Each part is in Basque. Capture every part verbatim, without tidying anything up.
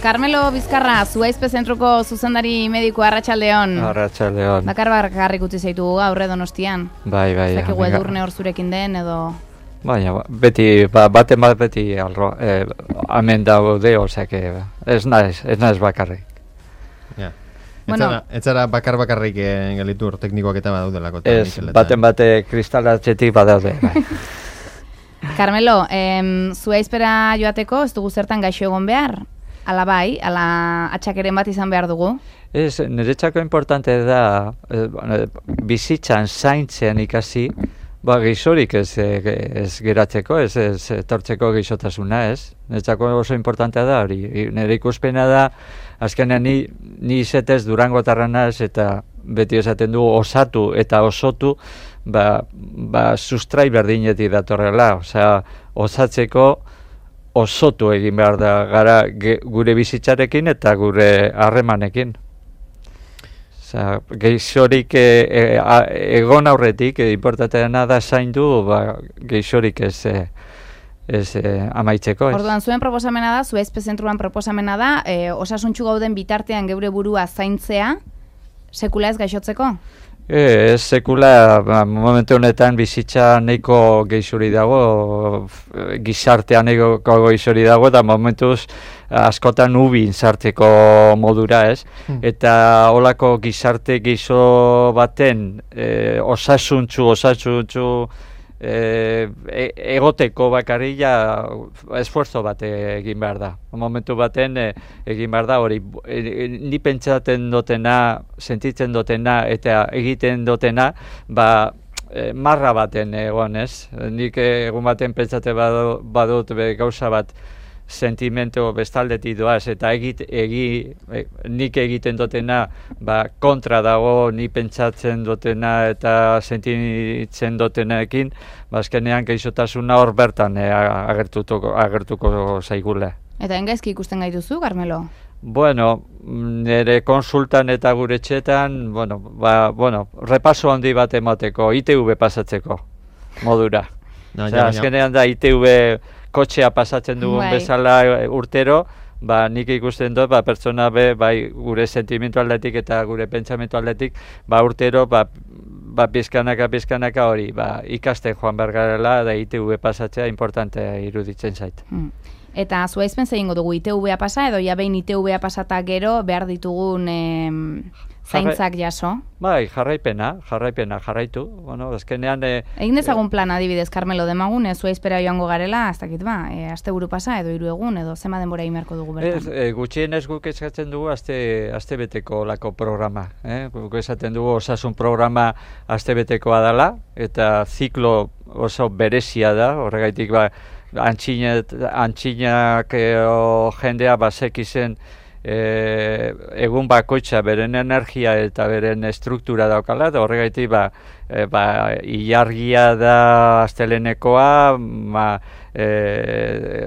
Carmelo Bizkarra, Zuaizpe Zentruko zuzendari mediko, arratsaldeon. Arratsaldeon. Bakar bakarrik utzi zaitu gaur Donostian. Bai, bai. Zakigu edurne hor zurekin den edo... Baina, beti, ba, baten bat beti alro, eh, amen daude, osea, ez naiz, ez naiz bakarrik. Ja. Bueno. Ez zara bakar bakarrik eh, gelitur teknikoak eta badaudelako. Ez, baten bate kristalatxetik badaude, bai. Carmelo, em, Zuaizpera joateko ez dugu zertan gaixo egon behar? Ala bai, ala atxakeren bat izan behar dugu? Ez, niretzako importante da, eh, bizitzan zaintzen ikasi, ba, geixorik ez, ez geratzeko, ez, ez etortzeko geixotasuna, ez? Niretzako oso importantea da hori. Nire ikuspena da, azkenean ni, ni izetez Durangotarra naiz eta beti esaten du osatu eta osotu, ba, ba sustrai berdinetik datorrela, osea, osatzeko osotu egin behar da gara ge, gure bizitzarekin eta gure harremanekin. Osea, geixorik e, e, a, egon aurretik, e, importanteena da zaindu, ba, geixorik ez, e, ez e, amaitzeko. Ez. Orduan, zuen proposamena da, Zuaizpe Zentruan proposamena da, e, osasuntxu gauden bitartean geure burua zaintzea, sekula ez gaixotzeko? E, ez sekula, ba, momentu honetan bizitza nahiko geixuri dago, gizartean nahiko geixuri dago, eta momentuz askotan ubin sartzeko modura, ez? Hmm. Eta holako gizarte geixo baten e, osasuntxu, osasuntxu e, e, egoteko bakarria esfuerzo bat egin behar da. Momentu baten e, egin behar da hori, e, ni pentsatzen dutena, sentitzen dutena eta egiten dutena, ba, e, marra baten egon, ez? Nik egun baten pentsatzen badut, badut be, gauza bat sentimentu bestaldetik doaz, eta egit, egi, e, nik egiten dutena ba, kontra dago, ni pentsatzen dutena eta sentitzen dutenekin, ba, azkenean geixotasuna hor bertan e, agertuko, agertuko zaigula. Eta engaizki ikusten gaituzu, Carmelo? Bueno, nire konsultan eta gure txetan, bueno, ba, bueno, repaso handi bat emateko, I T V pasatzeko modura. No, Osea, ja, azkenean da I T V kotxea pasatzen dugun bai. Bezala urtero, ba, nik ikusten dut, ba, pertsona be, bai, gure sentimentu aldetik eta gure pentsamentu aldetik, ba, urtero, ba, ba, pizkanaka, pizkanaka hori, ba, ikasten joan behar garela, da I T V pasatzea importantea iruditzen zait. Hmm. Eta Zuaizpen zeingo dugu I T V-a pasa, edo ja behin I T V-a pasata gero behar ditugun em, zaintzak jaso? Bai, jarraipena, jarraipena, jarraitu. Bueno, azkenean... E, Egin dezagun plan adibidez, Carmelo, demagun, e, Zuaizpera joango garela, ez dakit ba, e, aste buru pasa, edo hiru egun, edo zema denbora imerko dugu bertan? Ez, e, gutxienez guk eskatzen dugu aste, aste beteko lako programa. Eh? Guk esaten dugu osasun programa aste betekoa dela, eta ziklo oso berezia da, horregaitik ba, antxinak, antxinak e, jendea basek izen e, egun bakoitza beren energia eta beren struktura daukala, eta horregaitik ba, e, ba, ilargia da astelenekoa, ma, e,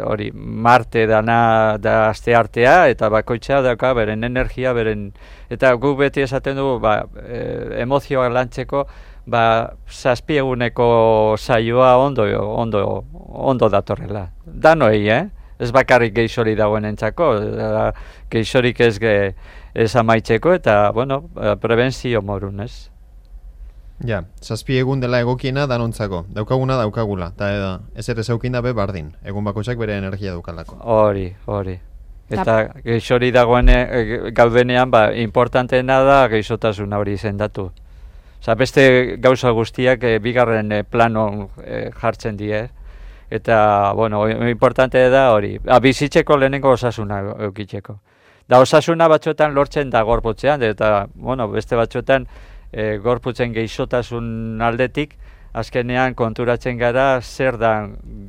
hori, Marte dana da aste artea, eta bakoitza dauka beren energia, beren, eta guk beti esaten dugu ba, e, emozioak lantzeko, ba, zazpieguneko saioa ondo, ondo, ondo datorrela. Danoi, eh? Ez bakarrik geixori dagoen entzako, geixorik ez, ge, ez amaitzeko, eta, bueno, prebentzio morun, ez? Ja, zazpi egun dela egokiena danontzako, daukaguna daukagula, eta ez ere zeukina be bardin, egun bakoitzak bere energia daukalako. Hori, hori. Eta geixori dagoen e, gaudenean, ba, importanteena da geixotasuna hori izendatu. Osa, beste gauza guztiak e, bigarren e, plano e, jartzen die, eta, bueno, importante da hori, a, bizitzeko lehenengo osasuna eukitzeko. Da osasuna batzuetan lortzen da gorputzean, eta, bueno, beste batzuetan e, gorputzen geixotasun aldetik, azkenean konturatzen gara zer da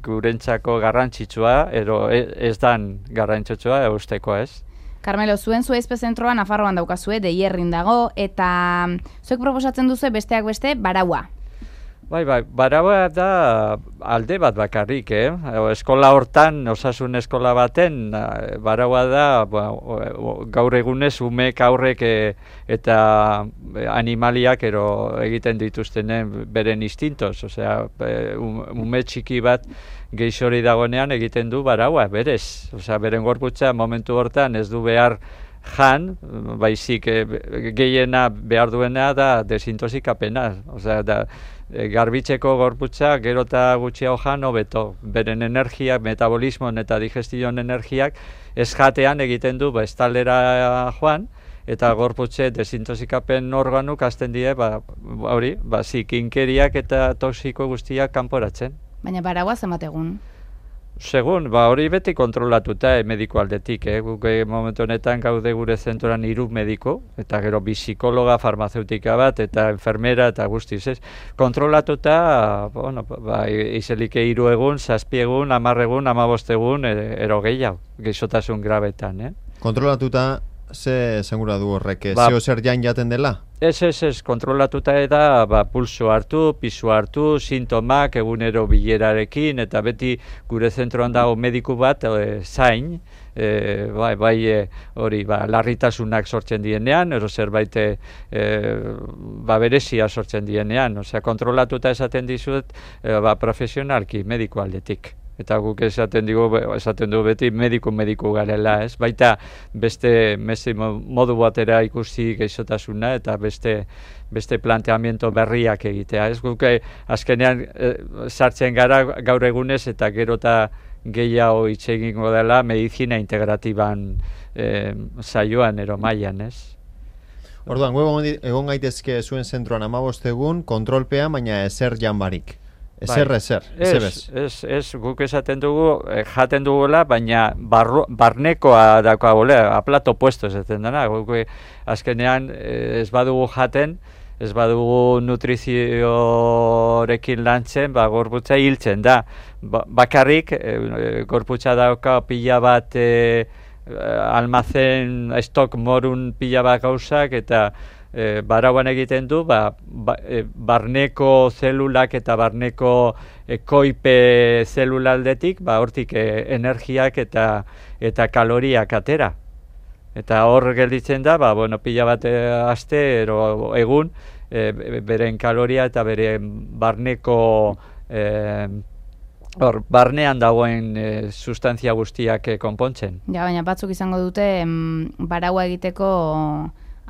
gurentzako garrantzitsua, edo ez dan garrantzitsua eusteko, ez? Carmelo, zuen Zuaizpe Zentroa Nafarroan daukazue, Deierrin dago, eta zuek proposatzen duzu besteak beste baraua. Bai, bai, baraua da alde bat bakarrik, eh? Eskola hortan, osasun eskola baten, baraua da ba, gaur egunez umek aurrek e, eta animaliak ero egiten dituztenen beren instintos, osea, ume txiki bat geixori dagoenean egiten du baraua, berez. Osea, beren gorputza momentu hortan ez du behar jan, baizik e, gehiena behar duena da desintoxikapena, osea, da, e, garbitzeko gorputza gero eta gutxiago jan hobeto. Beren energiak, metabolismoan eta digestion energiak ez jatean egiten du ba, estalera joan, eta gorputze desintoxikapen organuk hasten die, ba, hori, ba, zikinkeriak eta toxiko guztiak kanporatzen. Baina baraua zenbat egun? Segun, ba, hori beti kontrolatuta eh, mediko aldetik, eh? Guk eh, momentu honetan gaude gure zentroran hiru mediko, eta gero bi psikologa, farmazeutika bat, eta enfermera, eta guztiz, ez? Kontrolatuta, bueno, ba, izelike hiru egun, zazpi egun, hamar egun, hamabost egun, ero gehiago, geixotasun grabetan, eh? Kontrolatuta, ze segura du horrek, ba, zeo zer jain jaten dela? Ez, ez, ez, kontrolatuta da, ba, pulso hartu, pisu hartu, sintomak, egunero bilerarekin, eta beti gure zentroan dago mediku bat, e, zain, e, bai, bai, e, hori, ba, larritasunak sortzen dienean, ero zerbait, e, ba, berezia sortzen dienean, osea, kontrolatuta esaten dizut, e, ba, profesionalki, mediku aldetik. Eta guk esaten digu, esaten du beti mediku-mediku garela, ez? Baita beste, beste modu batera ikusi geixotasuna eta beste beste planteamiento berriak egitea, ez? Guk azkenean e, sartzen gara gaur egunez eta gero eta gehiago hitz egingo dela medizina integratiban e, saioan ero mailan, ez? Orduan, gu egon gaitezke zuen zentroan hamabost egun, kontrolpean, baina ezer jan barik. Ezer, bai, ezer, ezer ez, ez, ez, guk esaten dugu, eh, jaten dugula, baina barru, barnekoa daukagule, aplato puesto esaten dena, guk azkenean eh, ez badugu jaten, ez badugu nutriziorekin lantzen, ba, gorputza hiltzen da. Ba, bakarrik, eh, gorputza dauka pila bat eh, almazen, estok morun pila bat gauzak, eta E, barauan egiten du, ba, ba, e, barneko zelulak eta barneko e, koipe zelulaldetik, ba, hortik e, energiak eta eta kaloriak atera. Eta hor gelditzen da, ba, bueno, pila bat e, aste, ero, egun, e, beren kaloria eta beren barneko, e, hor, barnean dagoen e, sustantzia guztiak e, konpontzen. Ja, baina batzuk izango dute, em, baraua egiteko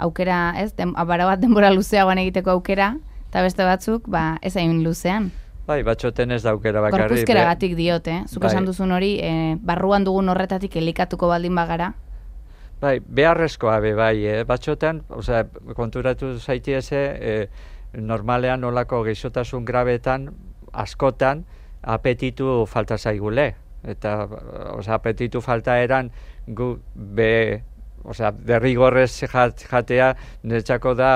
aukera, ez, den, abara bat denbora luzeagoan egiteko aukera, eta beste batzuk, ba, ez hain luzean. Bai, batxoten ez da aukera bakarri. Gorpuzkeragatik diote, eh? Zuk bai. Esan duzun hori, e, barruan dugun horretatik elikatuko baldin bagara. Bai, beharrezkoa be, bai, eh? Batxoten, osea, konturatu zaitieze, eh, normalean olako geixotasun grabetan, askotan, apetitu falta zaigule. Eta, osea, apetitu falta eran, gu, be, osea, derrigorrez jatea, niretzako da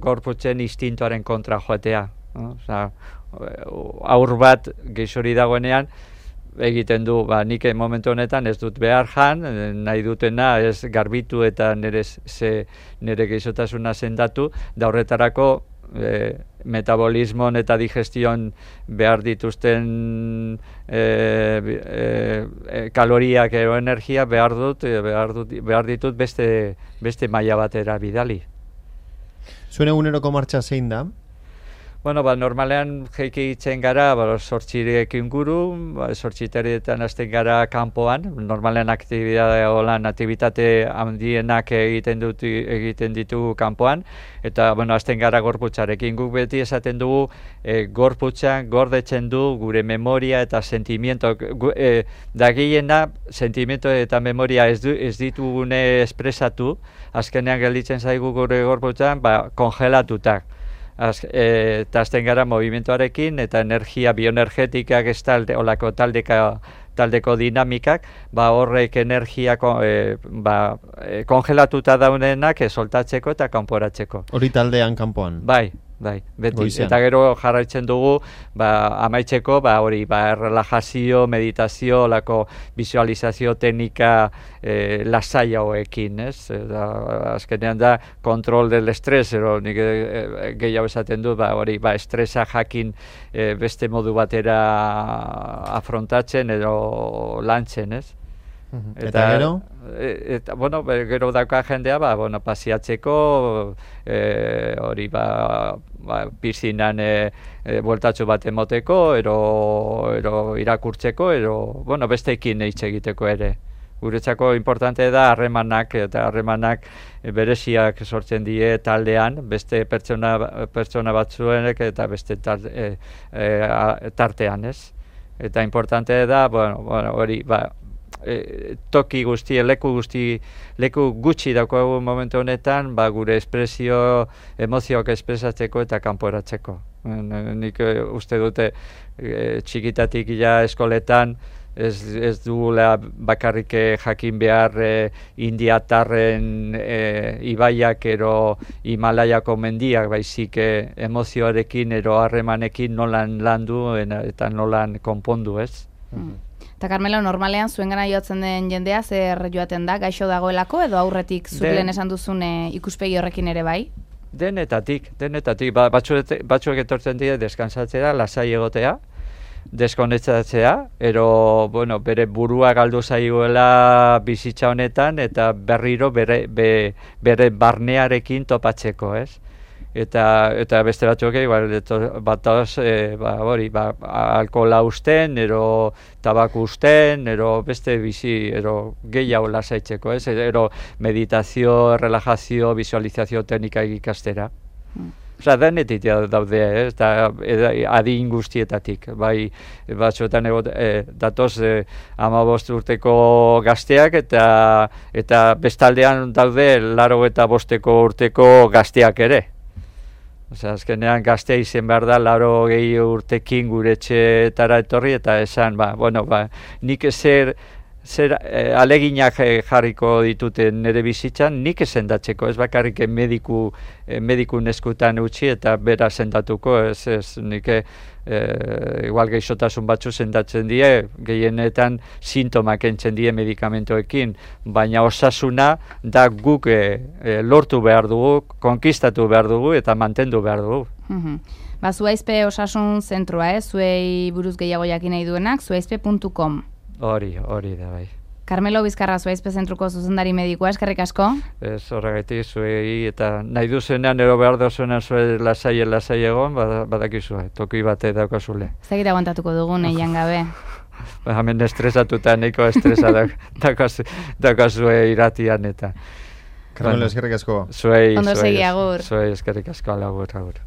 gorputzen instintoaren kontra joatea. No? Osea, aur bat geixori dagoenean, egiten du, ba, nik momentu honetan ez dut behar jan, nahi dutena ez garbitu eta nire, ze, nire geixotasuna sendatu, da horretarako e, metabolismon eta digestion behar dituzten e, e, kaloriak ero energia behar dut, behar, dut, behar ditut beste, beste maila batera bidali. Zuen eguneroko martxa zein da? Bueno, ba, normalean jeiki itzen gara, ba, sortxirek inguru, ba, sortxiterietan hasten gara kanpoan, normalean aktibidade holan, aktibitate handienak egiten, dut, egiten ditugu kanpoan, eta, bueno, hasten gara gorputzarekin. Guk beti esaten dugu, e, gorputzan gordetzen du gure memoria eta sentimiento, gu, e, dagiena sentimiento eta memoria ez, du, ez ditugune espresatu, azkenean gelditzen zaigu gure gorputzan, ba, kongelatutak. Az, e, eta azten gara movimentuarekin eta energia bioenergetikak ez talde, olako taldeka, taldeko dinamikak, ba horrek energia e, ba, e, kongelatuta daudenak e, soltatzeko eta kanporatzeko. Hori taldean kanpoan? Bai, bai, beti. Goizean. Eta gero jarraitzen dugu, ba, amaitzeko, ba, hori, ba, relajazio, meditazio, lako visualizazio teknika eh, lasai hauekin, ez? Eta, azkenean da, kontrol del estres, ero nik e, gehiago esaten du, ba, hori, ba, estresa jakin e, beste modu batera afrontatzen, edo lantzen, ez? Eta, eta gero? E, eta, bueno, gero dauka jendea, ba, bueno, pasiatzeko, e, hori, ba, ba, piszinan e, e, bueltatxo bat emoteko, ero, ero irakurtzeko, ero, bueno, besteekin hitz egiteko ere. Guretzako importante da harremanak, eta harremanak bereziak sortzen die taldean, beste pertsona, pertsona batzuenek eta beste tar, e, e, tartean, ez? Eta importante da, bueno, bueno, hori, ba, E, toki guzti, leku guzti, leku gutxi daukagu momentu honetan, ba, gure espresio, emozioak espresatzeko eta kanporatzeko. Nik e, uste dute e, txikitatik ja eskoletan ez, ez dugula bakarrik jakin behar e, indiatarren e, ibaiak ero Himalaiako mendiak, baizik e, emozioarekin ero harremanekin nolan landu eta nolan konpondu, ez? Mm. Eta Carmelo, normalean zuen gana joatzen den jendea zer joaten da, gaixo dagoelako edo aurretik zuen esan duzun ikuspegi horrekin ere bai? Denetatik, denetatik. Ba, batzuek, batzuek etortzen dira deskansatzea, lasai egotea, deskonektatzea, ero, bueno, bere burua galdu zaioela bizitza honetan eta berriro bere, be, bere barnearekin topatzeko, ez? Eta, eta beste batzuk igual batoz e, ba, hori, ba, alkohola usten, ero tabaku usten, ero beste bizi, ero gehiago lasaitzeko, ez? Ero meditazio, relajazio, visualizazio teknika ikastera. Mm. Osa, denetik daude, eh? Eta adin guztietatik, bai, batzuetan egot, e, datoz e, hamabost urteko gazteak eta eta bestaldean daude laro eta bosteko urteko gazteak ere. Osea, azkenean gaztea izen behar da, laro gehi urtekin gure etxeetara etorri, eta esan, ba, bueno, ba, nik zer, zer eh, aleginak jarriko ditute nire bizitzan, nik sendatzeko, ez bakarrik mediku, eh, mediku neskutan utzi eta bera sendatuko, ez, ez, nik eh, igual geixotasun batzu sendatzen die, gehienetan sintomak entzen die medikamentoekin, baina osasuna da guk eh, lortu behar dugu, konkistatu behar dugu eta mantendu behar dugu. Mm-hmm. Ba, Zuaizpe osasun zentroa, eh? Zuei buruz gehiago jakin nahi duenak, zuaizpe puntu com. Hori, hori da bai. Carmelo Bizkarra, Zuaizpe zentruko zuzendari medikoa, eskerrik asko. Ez horregatik zuei eta nahi duzenean ero behar dozuenan zue lasai lasai egon, badakizue, toki bate daukazule. Ez dakit aguantatuko dugun, eian gabe. Ba, hemen estresatuta, nahiko estresa daukazue iratian eta. Carmelo, eskerrik asko. Zuei, Ondo segi, agur. Zuei eskerrik asko, agur, agur.